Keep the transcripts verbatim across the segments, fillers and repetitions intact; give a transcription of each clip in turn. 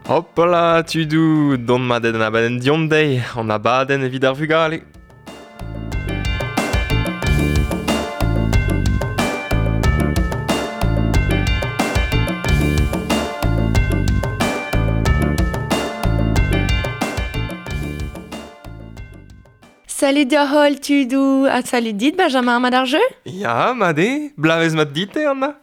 Hopla, tudoù, dont mat an abadenn diomp dezhi, an abadenn evit ar vugale. Salut da holl tudoù, ha salut dit Benjamin, mat ar jeu? Ya, mat eo, blavez mat dit Anna?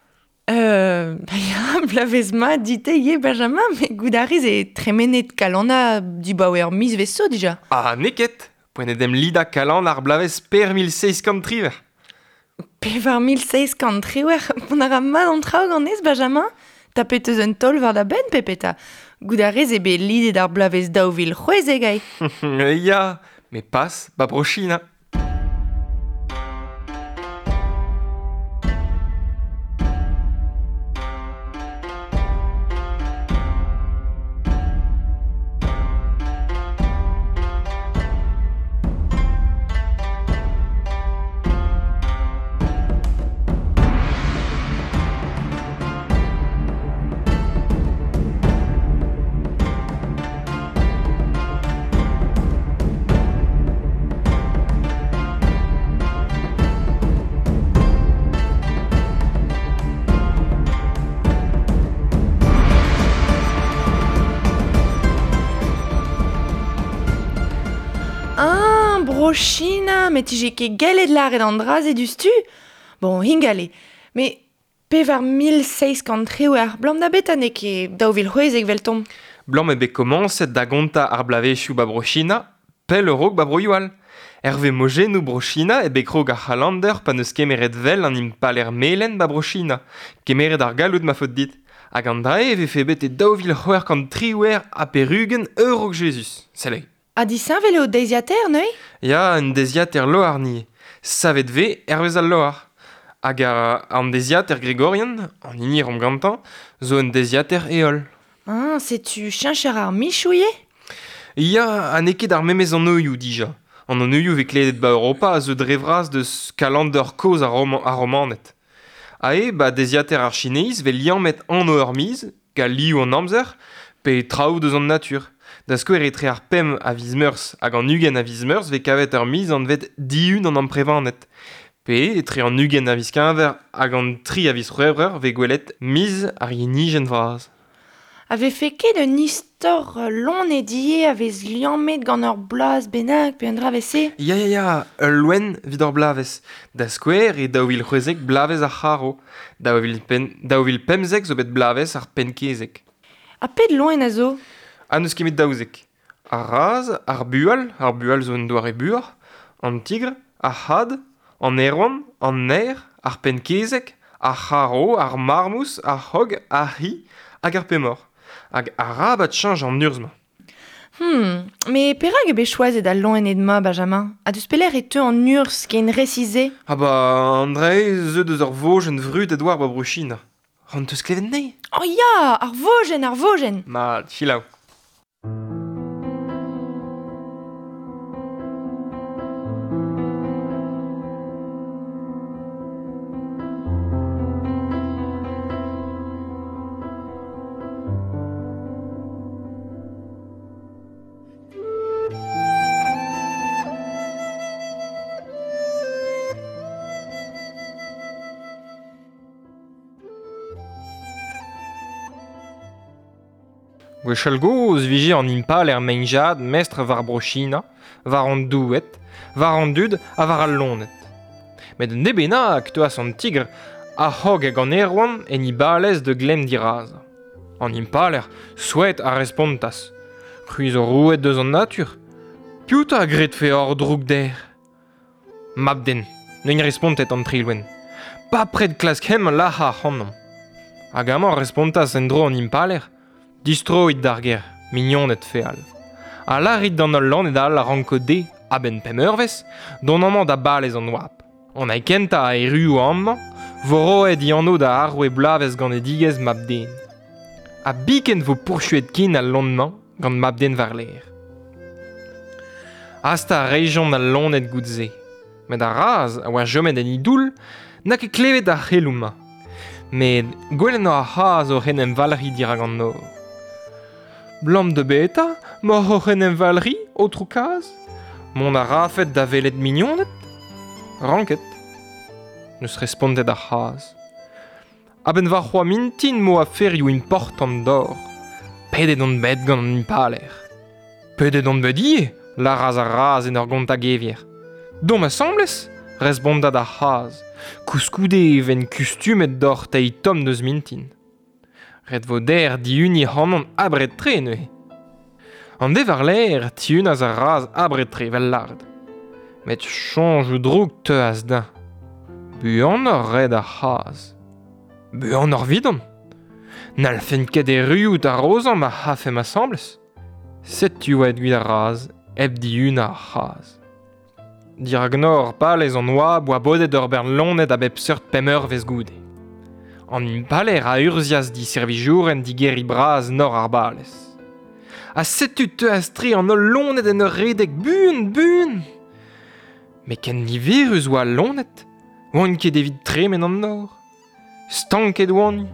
Euh, ba ya, blavez mat dit eo Benjamin, met goût a rez e tremenet kalanna dibaoe ur miz zo dija. Ah, n'eo ket, poent eo demp lidañ kalan ar blavez per mil seizh kant triwec'h. Pevar mil seizh kant triwec'h, mont a ra mat an traoù ganez, Benjamin? Tapet eus un taol war da benn, pepeta. Goût a rez eo bet lidet ar blavez daou vil c'hwezek eo. Ya, met pas, ba Bro-China. Ah, Bro-China, met tije ket gellet lâret an dra-se diouzhtu. Bon, hingale, met pevar mil seizh kant triwec'h, blam da beta n'eo ket daou vil c'hwezek 'veltomp. Blam eo bet komañset da gontañ ar bloavezhioù ba Bro-China, pell a-raok ba broioù all. Hervez mojennoù Bro-China eo bet krog ar c'halander pa n'eus kemeret vel an impaler melen ba Bro-China. Kemeret ar galloud ma faot dit. Hag an dra-se e vefe bet e daou vil c'hwec'h kant triwec'h ha pevar-ugent a-raok Jezuz. Sell. Ha disheñvel eo deiziataer neuze? Ya, un deiziataer loar ni. Savet vez hervez al loar. Hag ar, an deiziataer gregorian, an hini romp gantañ, zo un deiziataer heol. Ah, setu cheñcher ar michoù ivez? Ya, ha n'eo ket ar memes anvioù dija. An anvioù vez klevet ba Europa a zeu dre vras deus kalander kozh ar, Roman, ar Romaned. Ha eo, ba deiziataer ar Chineiz vez liammet anv ur miz, gant liv an amzer, pe traoù deus an natur. Da skouer etre ar pemp a viz Meurzh hag an ugent a viz Meurzh vez kavet ur miz anvet dihun an amprevaned. Pe etre an ugent a viz Keñver hag an tri a viz C'hwevrer vez gwelet miz ar yenijenn vras. A vefe ket un istor loened ivez a vez liammet gant ur bloaz bennak pe un dra evel-se? Ya, ya, ya, ul loen evit ur bloavezh. Da skouer e daou vil c'hwezek bloavezh ar c'harv. Daou vil pen, daou vil pemzek zo bet bloavezh ar pennkezeg. Ha pet loen a zo? Ha n'eus ket met daouzek. Ar raz, ar bual, ar bual zo un doare buoc'h, an tigr, ar c'had, an aerouant, an naer, ar pennkezeg, ar c'harv, ar marmouz, ar c'hog, ar c'hi hag ar pemoc'h. Hag arabat cheñch an urzh-mañ. Hmm, met perak eo bet choazet al loened-mañ, Benjamin? Ha deus pelec'h e teu an urzh ken resis-se? Ah ba, an dra-se zeu deus ur vojenn vrudet war ba Bro-China. C'hoant 'teus klevet anezhi? Oh ya, ar vojenn, ar vojenn! Mat, selaou. Gwechall gozh vije an impaler Meng-Jad mestr war Bro-China, war an doueed, war an dud ha war al loened. Met un deiz bennak teuas an tigr ar c'hog hag an aerouant en e balez da glemm dirazañ. An impaler souezhet a respontas. C'hwi zo roueed deus an natur. Piv 'ta a gredfe hor droug der? Mab-den, neuint respontet an tri loen. Bepred klask hemañ lac'hañ ac'hanomp. Hag amañ respontas en-dro an impaler. Distroit d'ar gêr, mignoned feal. Ha lârit d'an holl loened all a ranko dezhe, a-benn pemp eurvezh, dont amañ da balez an oabl. An hini kentañ a erruo amañ, vo roet e anv da arouez bloavezh ganedigezh mab-den. Ha biken vo pourchuet ken al loen-mañ gant mab-den war-lerc'h. Hastañ a rejont al loened goude-se. Met ar raz a oa chomet en e doull n'a ket klevet ar c'heloù-mañ. Met gwelet ar c'hazh oc'h en em valc'hiñ dirak an nor. Blam de beta, mor oc'h en em valri, aotrou kaz. Mont a rafet da velet mignoned? Ranket. Neus respondet ar c'haz. A-benn war c'hoa mintin mo aferioù important d'or. Pedet on bet gant an impaler. Pedet on bet ivez, lâras ar raz en ur gont a gevier. Dont asambles, respondat ar c'haz. Koulskoude e ven kustumet d'or teil tomm deus mintin. Ret vo der diuni c'hanon abred-tre neuze. An de war l'air tiunaz ar raz abred-tre vel lard. Met soñjoù droug teuas din. Buan ur red ar c'haz. Buan ur vidon. N'alfen ket erruout ar rozañ ma c'hafemp asambles. Setu oa evit ar raz, hep dihun ar c'haz. Dirak nor palez an oa boa bodet ur bern loened a bep seurt pemp eurvezh goude. An impaler a urzhias diservijouren digeriñ bras nor ar balez. Ha setu teuas tre an holl loened en ur redek buan, buan. Met ken niverus oa al loened, oant ket evit tremen an nor. Stanket oant.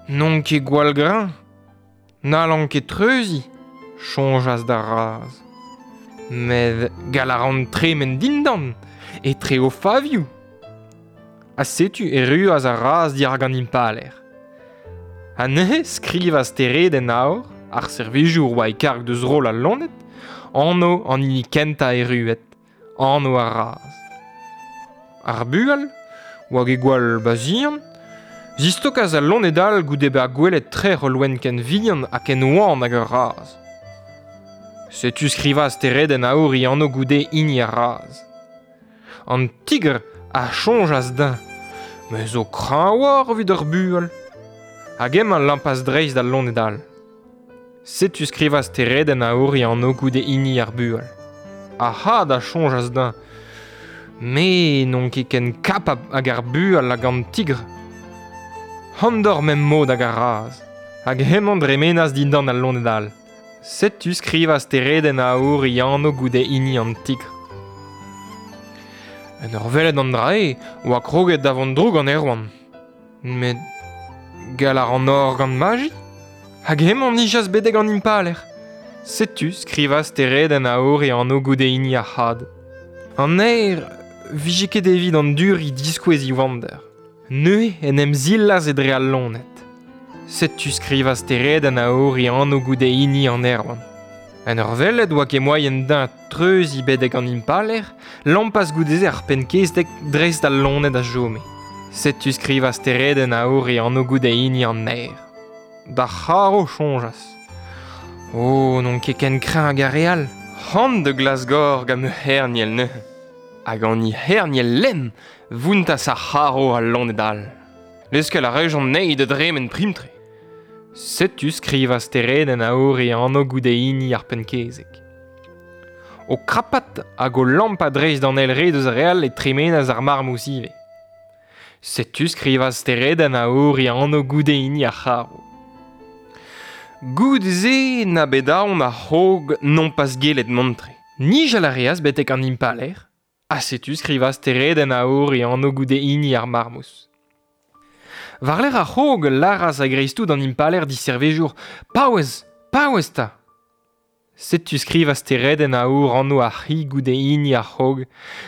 N'on ket gwall greñv. N'hallan ket treuziñ, soñjas d'ar raz. Met gall a ran tremen dindan, etre o favioù. Ha setu erruas ar raz dirak an impaler. Ha neuze skrivas steredenn aour, ar servijour oa e karg deus roll al loened, anv an hini kentañ erruet, anv ar raz. Ar bual, oa ket gwall bazian, zistokas al loened all goude bezañ gwelet trec'h ul loen ken vihan ha ken oan hag ur raz. Setu skrivas steredenn aour e anv goude hini ar raz. An tigr a soñjas din, me zo kreñvoc'h evit ur bual. Hag emañ lampas dreist d'al loened all. Setu skrivas steredenn aour e anv goude hini ar bual. Ar c'had a soñjas din, me n'on ket ken kapab hag ar bual hag an tigr. Andor mem mod hag ar raz. Hag hemañ dremenas dindan al loened all. Setu skrivas steredenn aour e anv goude hini an tigr. En ur welet an dra-se oa kroget da vont droug an Erwan. Met gall a ran or gant maji? Hag hemañ nijas betek an impaler. Setu skrivas steredenn aour e anv goude hini ar c'had. An aer vije ket evit an duri diskouez e wander. Neuze en em zillas e-dre al loened. Setu skrivas steredenn aour e anv goude hini an Erwan. En ur welet oa ket moaien din treuziñ betek an impaler, lampas goude-se ar penn-kezeg dreist al loened a chome. Setu skrivas steredenn aour e anv goude hini an naer. D'ar c'harv soñjas. Oh, n'on ket ken kreñv hag ar re all. C'hoant da glasgor gant ma c'herniel neuze. Hag an herniel lemm vountas ar c'harv al loened all. Leuskel a rejont anezhi da dremen prim-tre. Setu skrivas steredenn aour e anv goude hini ar penn-kezeg. O krapat hag o lampat dreist d'an eil re deus ar re all e tremenas ar marmouz ivez. Setu skrivas steredenn aour e anv goude hini ar c'harv. Goude-se na bet aon ar c'hog nompas gellet mont-tre. Nijal a reas betek an impaler, ha setu skrivas steredenn aour e anv goude hini ar marmouz. War-lerc'h ar c'hog lâras a-greiz-tout an impaler diservejour « Paouez, paouez 'ta !» Setu skrivas steredenn aour anv ar c'hi goude hini ar c'hog,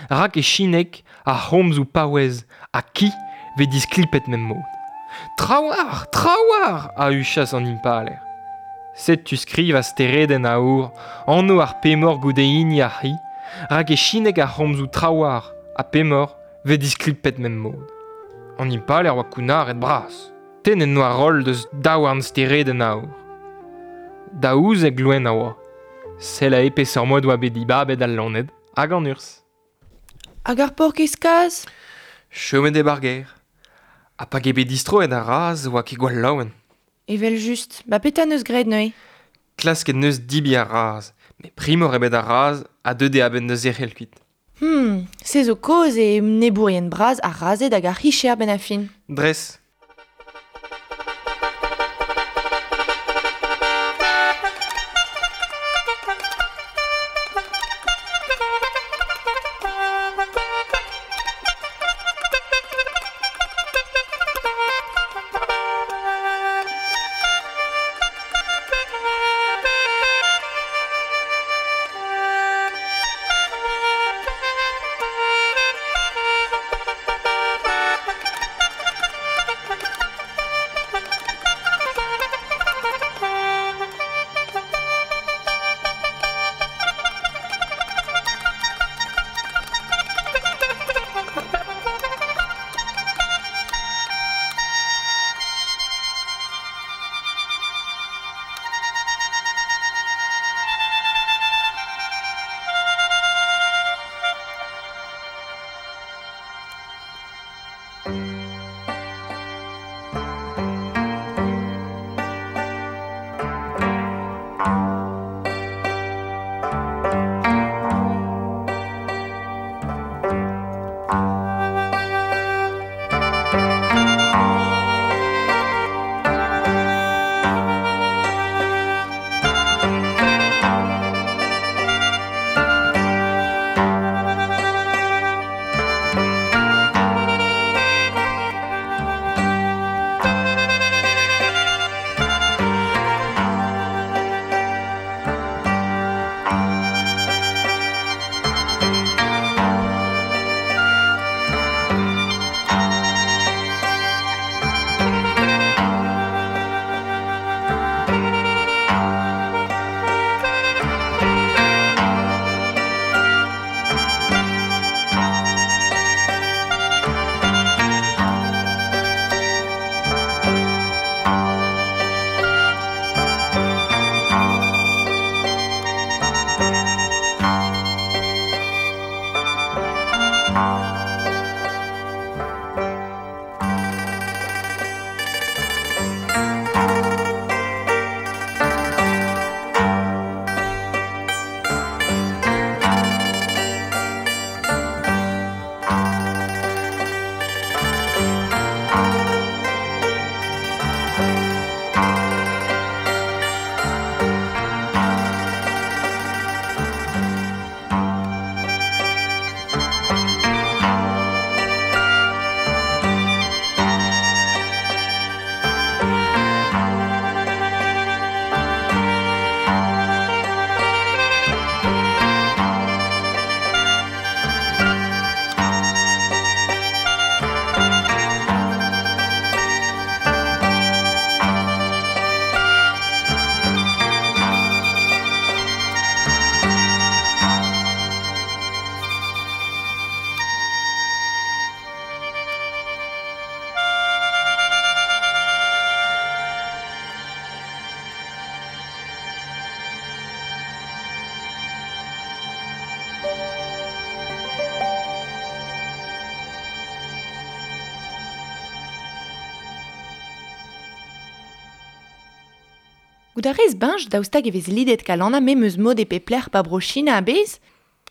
rak e chineg ar c'homzoù paouez ha ki vez disklipet mem mod. Trawalc'h, trawalc'h a huchas an impaler. Setu skrivas steredenn aour anv ar pemoc'h goude hini ar c'hi, rak e chineg ar c'homzoù trawalc'h ha pemoc'h vez disklipet mem mod. An impaler oa kounnaret bras. Tennet noa roll deus daouarn steredenn aour. Daouzek loen a oa. Sell aze peseurt mod oa bet dibabet al loened hag an urzh. Hag ar paourkaezh kazh? Chomet eo 'bar gêr. Ha pa eo bet distroet ar raz oa ket gwall laouen. Evel just, ba petra neus graet neuze? Klasket neus debriñ ar raz, met primoc'h eo bet ar raz ha deuet eo a-benn da zerc'hel kuit. Hmm, se zo kaoz eo enebourien bras ar razhed hag ar c'hicher benn ar fin. Dres. Gout a rez benj daoust hag e vez lidet Kalanna memes mod e pep lec'h ba bro China a-bezh?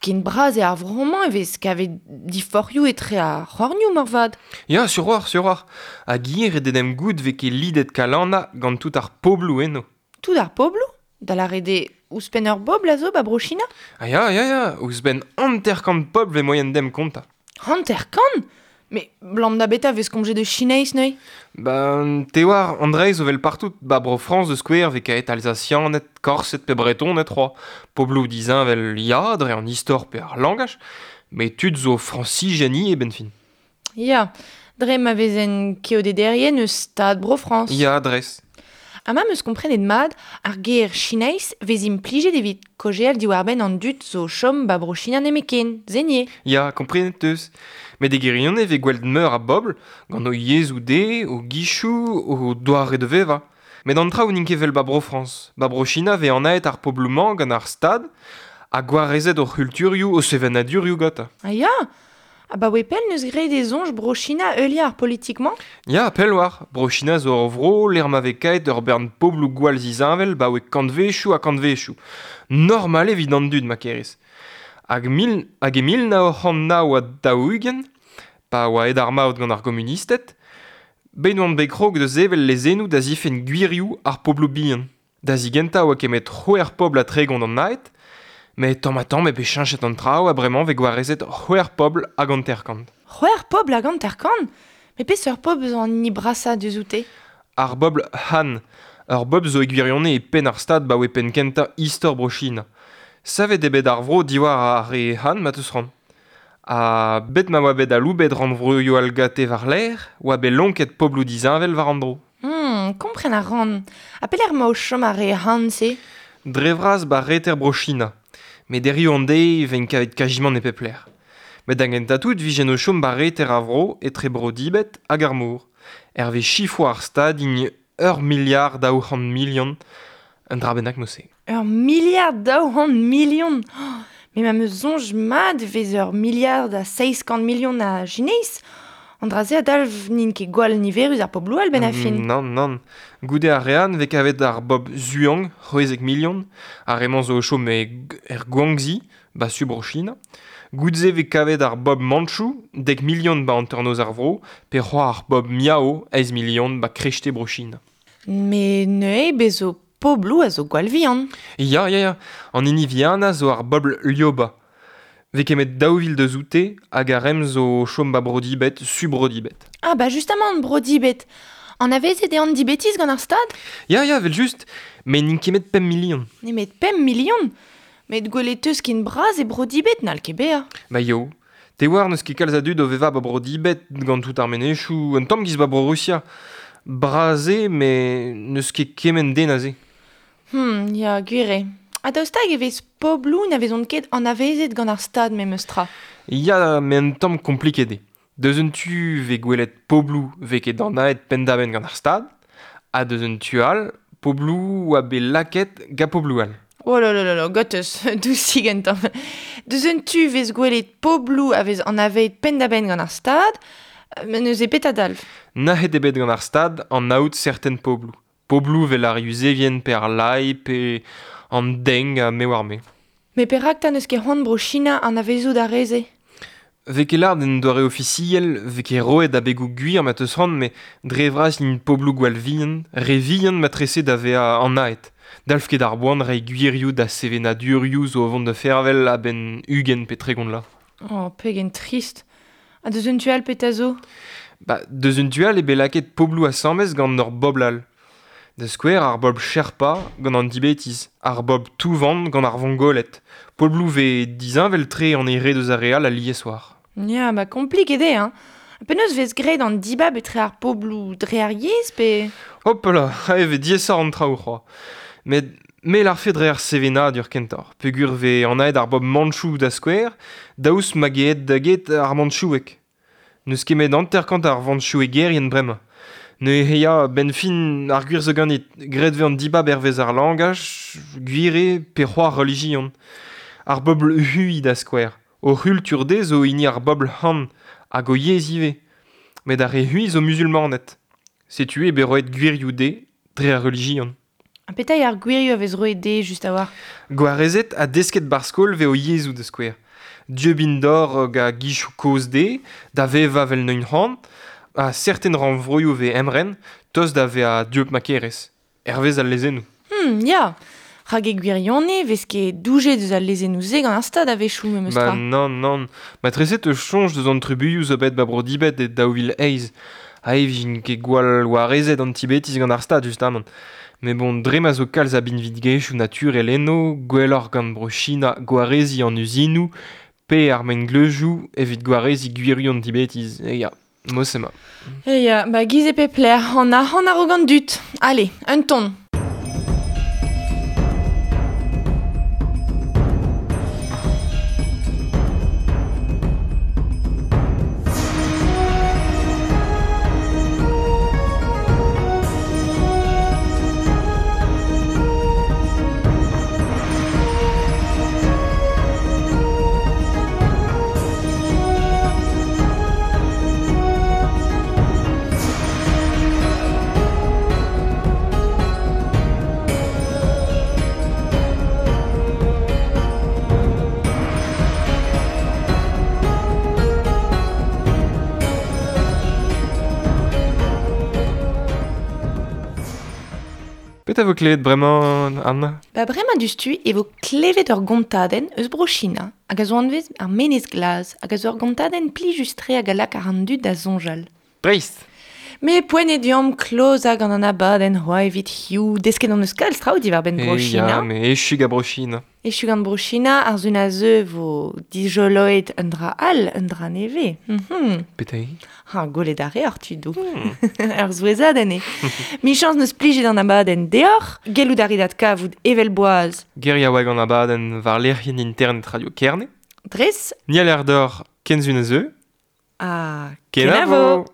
Ken bras eo ar vro-mañ e vez kavet diforc'hioù etre ar c'hornioù moarvat. Ya, sur war, sur war. Hag ivez ret eo goût vez ket lidet Kalanna gant tout ar pobloù eno. Tout ar pobloù? Da lâret eo ouzhpenn ur bobl a zo ba bro China? Ah ya, ya, ya, ouzhpenn hanter-kant pobl vez moaien demp kontañ. Hanter-kant? Mais blam da beta vez komzet eus Chinaiz neuze? Ben, te oar, an dra-se zo vel partout, ba bro Frañs da skouer vez kaet Alsasianed, Korsed pe Bretoned c'hoazh. Pobloù disheñvel ya, dre an istor pe ar langaj, met tud zo Frañsijen ivez 'benn fin. Ya, dre ma vezen keodederien eus stad Bro-Frañs. Ya, dres. Ha ma 'm eus komprenet mat, ar ger Chinaiz vez implijet evit kaozeal diwar-benn an dud zo chom ba bro China nemetken, se ivez. Ya, komprenet 'teus. Met e gwirionez e vez gwelet meur a bobl, gant o yezhoù dezhe, o gizioù, o doare da vevañ. Met an traoù n'int ket 'vel ba Bro-Frañs. Ba bro China vez anaet ar pobloù-mañ gant ar Stad ha gwarezet o c'hulturioù, o sevenadurioù gantañ. Ah ya! Abaoe pell 'neus graet e soñj bro China heuliañ ar politik-mañ? Ya, pell war. Bro China zo ur vro lec'h ma vez kaet ur bern pobloù gwall zisheñvel 'baoe kantvezhioù ha kantvezhioù. Normal evit an dud ma kerez. Hag mil, hag e mil nav c'hant nav ha daou-ugent, pa oa aet ar maout gant ar gomunisted, bet oant bet krog da sevel lezennoù da zifenn gwirioù ar pobloù bihan. Da zigentañ oa kemet c'hwec'h pobl ha tregont an naet, met tamm-ha-tamm eo bet cheñchet an traoù ha bremañ vez gwarezet c'hwec'h pobl hag hanter-kant. C'hwec'h pobl hag hanter-kant? Met peseurt pobl zo an hini brasañ deus oute? Ar bobl Han. Ur bobl zo e gwirionez e penn ar stad 'baoe penn kentañ istor Bro-China. Savet eo bet ar vro diwar ar re Han ma 'teus c'hoant. Ha bet ma oa bet aloubet rannvroioù all gante war-lerc'h, oa bet lonket pobloù disheñvel war an dro. Hmm, kompren a ran. Ha pelec'h 'ma o chom ar re Han-se? Dre vras 'ba reter Bro-China. Met hiziv an deiz 'vez kavet kazimant e pep lec'h. Met da gentañ tout 'vijen o chom 'ba reter ar vro etre Bro-Dibet hag ar mor. Hervez sifroù ar Stad int ur miliard daou c'hant milion, un dra bennak mod-se. Ur miliard daou c'hant milion? Oh, met ma 'm eus soñj mat e vez ur miliard ha seizh kant milion a Chinaiz. An dra-se a dalv n'int ket gwall niverus ar pobloù all 'benn ar fin. Nann, nann. Goude ar re Han 'vez kavet ar bobl Zhuang, c'hwezek milion. Ar re-mañ zo o chom e, er Guangxi, 'ba su Bro-China. Goude-se 'vez kavet ar bobl Manchou, dek milion 'ba hanternoz ar vro, pe c'hoazh ar bobl Miao, eizh milion 'ba kreiste Bro-China. Met neuze bez zo pobloù a zo gwall vihan. Ya, ya, ya. An hini vihanañ zo ar bobl Lioba. 'Vez kemet daou vil deus oute hag ar re-mañ zo o chom 'ba Bro-Dibet, su Bro-Dibet. Ah bah justement, Bro-Dibet. Anavezet eo an Dibetiz gant ar Stad? Ya, ya, 'vel-just. Met n'int ket pemp milion. Nemet pemp milion? Met gwelet 'teus ken bras e Bro-Dibet n'hall ket bezañ. Ba yo. Te oar n'eus ket kalz a dud o vevañ 'ba Bro-Dibet gant tout ar menezioù, un tamm 'giz 'ba Bro-Rusia. Bras eo, met n'eus ket kement den aze. Hmm, ya, gwir eo. Ha daoust hag e vez pobloù na vezont ket anavezet gant ar Stad memes tra? Ya, met un tamm kompliket eo. Deus un tu 'vez gwelet pobloù 'vez ket anaet penn-da-benn gant ar Stad, ha deus un tu all, pobloù oa bet lakaet gant pobloù all. Oh là là là là, gotez, dousig un tamm. Deus un tu 'vez gwelet pobloù a vez anavezet penn-da-benn gant ar Stad, met neuze petra dalv? Nac'het eo bet gant ar Stad anaout serten pobloù. Pobloù 'vel ar Yuzevien pe ar Lai pe an Deng ha me oar me. Met perak 'ta n'eus ket c'hoant bro China anavezout ar re-se? 'Vez ket lâret en doare ofisiel, 'vez ket roet abegoù gwir ma 'teus c'hoant, met dre vras int pobloù gwall vihan, re vihan matrese da vezañ anaet. Dalv ket ar boan reiñ gwirioù da sevenadurioù zo o vont da vervel a-benn ugent pe tregont vloaz. Oh, pegen trist. Ha deus un tu all petra zo? Ba, deus un tu all eo bet lakaet pobloù asambles gant ur bobl all. Da skouer ar bobl Sherpa gant an Dibetiz, ar bobl Touvan gant ar Vongoled. Pobloù 'vez disheñvel-tre an eil re deus ar re all alies war. Ya, ba kompliket eo, hein. Penaos 'vez graet an dibab etre ar pobloù dre ar yezh pe... Hop là, e vez diaesoc'h an traoù c'hoazh. Met me 'lârfe dre ar sevenadur kentoc'h. Peogwir 'vez anaet ar bobl Manchou da skouer, daoust ma get da get ar Manchoueg. N'eus ket met hanter-kant ar Vanchouegerien bremañ. Neuze ya, 'benn fin ar gwir zo ganit, graet 'vez an dibab hervez ar langaj, gwir eo pe c'hoazh relijion. Ar bobl Hui da skouer. O c'hultur dezhe zo hini ar bobl Han, hag o yezh ivez. Met ar re Hui zo musulmaned. Setu eo bet roet gwirioù dezhe dre ar relijion. Ha petra eo ar gwirioù a vez roet dezhe just a-walc'h? Gwarezet ha desket bar skol vez o yezhoù da skouer. Dieubint d'or ga gichoù kozh dezhe, da vevañ vel neuint c'hoant, ha serten rannvroioù vez emren, tost da vezañ dieub ma kerez. Hervez al lezennoù. Hmm, ya. Rak e gwirionez vez ket doujet eus al lezennoù-se gant ar stad a-wechoù memes Ba tra. nann, nann. Ma treset eus soñj deus an trubuilhoù zo bet ba bro Dibet e daou vil eizh. Ha e vijin ket gwall warezet an Tibetiz gant ar stad, justamant. Met bon, dre ma zo kalz a binvidigezhioù naturel eno, gwelloc'h gant bro China gwareziñ an uzinoù, pe ar mengleuzioù evit gwareziñ gwirioù an Tibetiz. E ya, mod-se ema. E ya, ba giz e pep lec'h, an arc'hant a-raok an dud. Allez, un ton. Petra vo klevet bremañ, Anna? Ba bremañ diouzhtu e vo klevet ur gontadenn eus bro China, hag a zo anvez ar menez glas, hag a zo ur gontadenn plijus-tre hag a lak ar an dud da soñjal. Dreist! Me poent eo deomp klozañ gant an abadenn c'hoazh evit hiziv, desket hon eus kalz traoù diwar-benn bro E ya, China. me echu gant bro China. Echu gant bro China, ar sun a zeu vo dijoloet un dra all, un dra nevez. Mm-hmm. Petra eo? Ha, gwelet a reoc'h, tudoù. Hmm. Ur souezhadenn eo. Michañs neus plijet an abadenn deoc'h, gellout a rit adkavout evel boaz. Geriaoueg an abadenn war lec'hienn internet Radio Kerne. Dres. Ni a l'air d'or kenzun a zeu. Ha Kenavo! kenavo!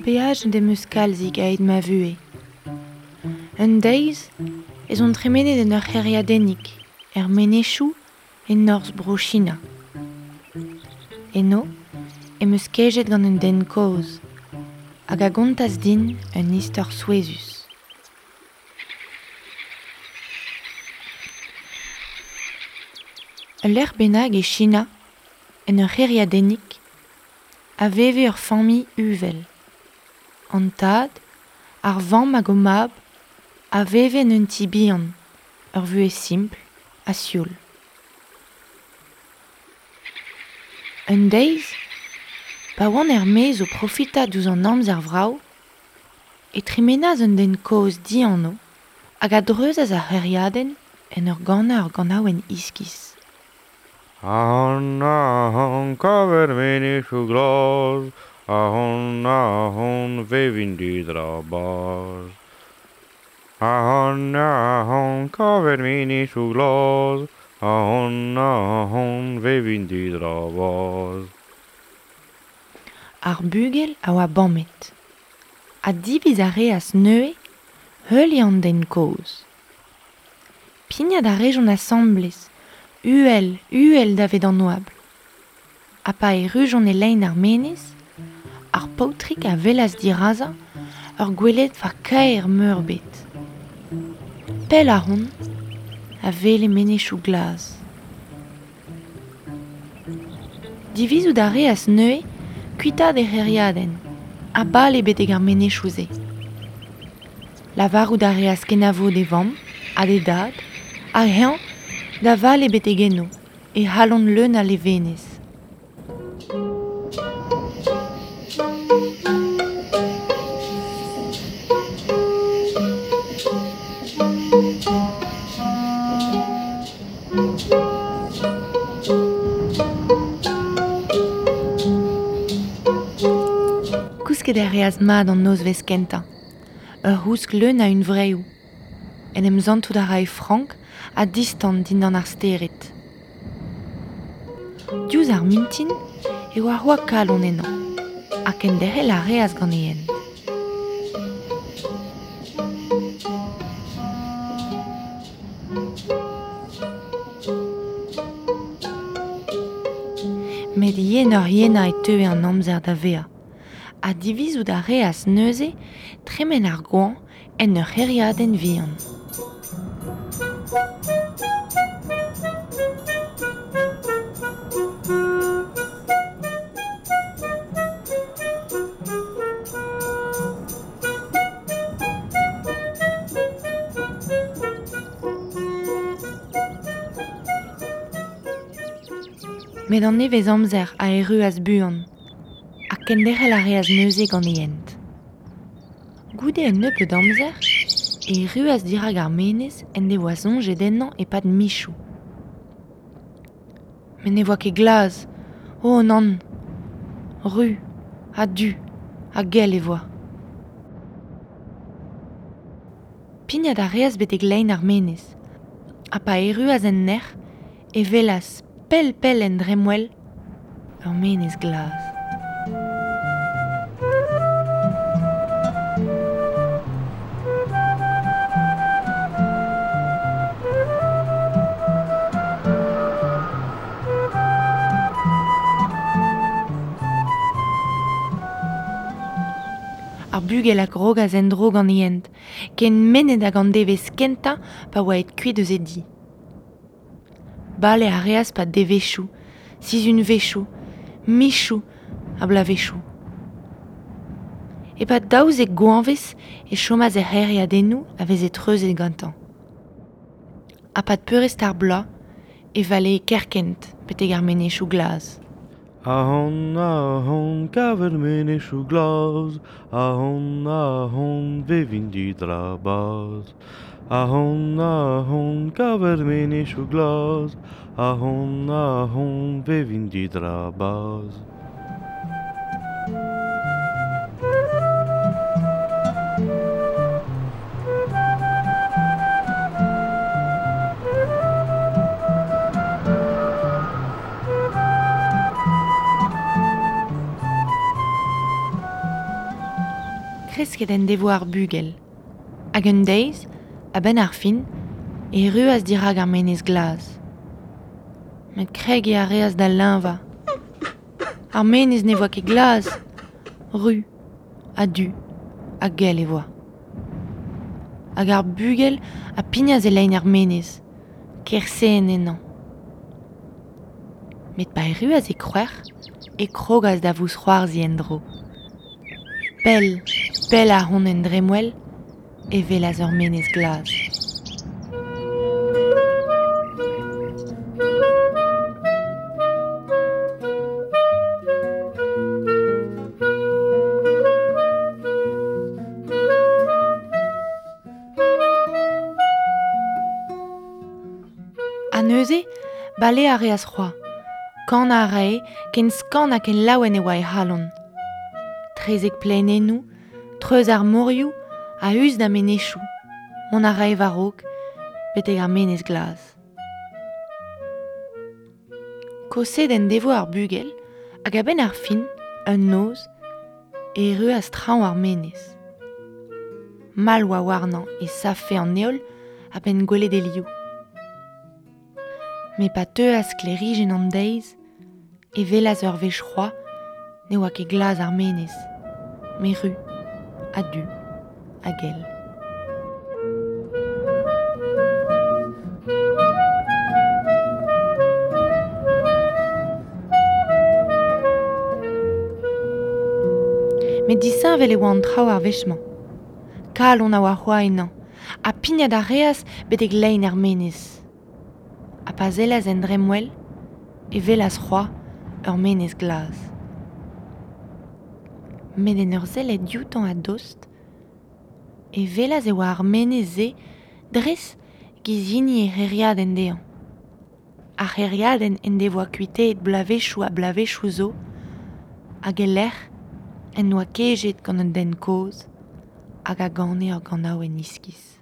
Beaj dem eus kalzik aet ma vuhez. Un deiz ez on tremenet en ur c'hêriadennig, er menezioù e norzh bro China. Eno em eus kejet gant un den kozh, hag a gontas din un istor souezhus. Ul lec'h bennak e China, en ur c'hêriadennig, a veve ur familh uvel. An tad, ar vamm hag o mab, a veve en un ti bihan, ur vuhez simpl ha sioul. Un deiz, pa oant er-maez o profitañ diouzh an amzer vrav, e tremenas un den kozh dianv hag a dreuzas ar c'hêriadenn en ur ganañ ur ganaouenn iskis. Ahon, ahon, kaver menezioù glas, ahon, ahon, vevin didra baz. Ahon, ahon, kaver menezioù glas, ahon, ahon, vevin didra baz. Ar bugel a oa bamet. Ha diviz a reas neuze heuliañ an den kozh. Pignat a rejont asambles, uhel, uhel davet an oabl. Ha pa errujont e lein ar menez, ar paotrig a welas dirazañ ur gweledva kaer meurbet. Pell ahont a wele menezioù glas. Divizout a reas neuze kuitaat e c'hêriadenn, ha bale betek ar menezioù-se. Lavarout a reas kenavo d'e vamm ha d'e dad, hag eñ da vale betek eno, e c'halon leun a levenez. Kousket a reas mat an nozvezh kentañ. Ur c'housk leun a hunvreoù. En em santout a rae frank ha distan dindan ar stered. Diouzh ar mintin e oa c'hoazh kalon ennañ, ha kenderc'hel a reas gant e hent. Met yenoc'h yenañ e teue an amzer da vezañ, ha divizout a reas neuze tremen ar goañv en ur c'hêriadenn vihan. Met an nevez amzer a erruas buan, ha kenderc'hel a reas neuze gant e hent. Goude un nebeud amzer, e erruas dirak ar menez en devoa soñjet ennañ e-pad michoù. Met ne voa ket glas, oh nann, ru, ha du, ha gell e voa. Pignat a reas betek lein ar menez, ha pa erruas en nec'h, e welas pell-pell en dremmwel, ur menez glas. Ar bugel a grogas en-dro gant e hent, ken mennet hag an devezh kentañ pa oa aet kuit eus e di. Bale a reas pa devezhioù, sizhunvezhioù, michoù ha bloavezhioù. E-pad daouzek goañvezh e chomas er c'hêriadennoù a veze treuzet gantañ. Ha pad peurrest ar bloaz e valee kerkent betek ar menezioù glas. Ahont, ahont, kavet menezioù glas, ahont, ahont, vevin didrabaz. Ahont, ahont, kavet menezioù glas, ahont, ahont, vevin didrabaz. Kresket en devoa ar bugel. Hag un deiz, a-benn ar fin, e erruas dirak ar menez glas. Met kregiñ a reas da leñvañ. Ar menez ne voa ket glas, ru, ha du, ha gell e voa. Hag ar bugel a pignas e lein ar menez, kerse ennañ. Met pa erruas e kroec'h, e krogas da vousc'hoarzhiñ en-dro. Pell, pell a-hont en dremmwel, e welas ur menez glas. Ha neuze, bale a reas c'hoazh, kanañ a rae, ken skañv ha ken laouen e oa e c'halon. Trezek plaenennoù, treuz ar morioù, a-us da menezioù, mont a rae war-raok, betek ar menez glas. Koset en devoa ar bugel, hag a-benn ar fin, un noz, e erruas traoñ ar menez. Mall oa warnañ e savfe an heol a-benn gwelet e liv. Met pa teuas sklêrijenn an deiz, e welas ur wech c'hoazh ne oa ket glas ar menez, met ru, ha du, ha gell. Met disheñvel e oa an traoù ar wech-mañ. Kalon a oa c'hoazh ennañ, ha pignat a reas betek lein ar menez. Ha pa sellas en dremmwel, e welas c'hoazh ur menez glas. Met en ur sellet dioutañ a-dost, e welas e oa ar menez-se dres giz hini e c'hêriadenn dezhañ. Ar c'hêriadenn en devoa kuitaet bloavezhioù ha bloavezhioù zo, hag e-lec'h en doa kejet gant un den kozh hag a gane ur ganaouenn iskis.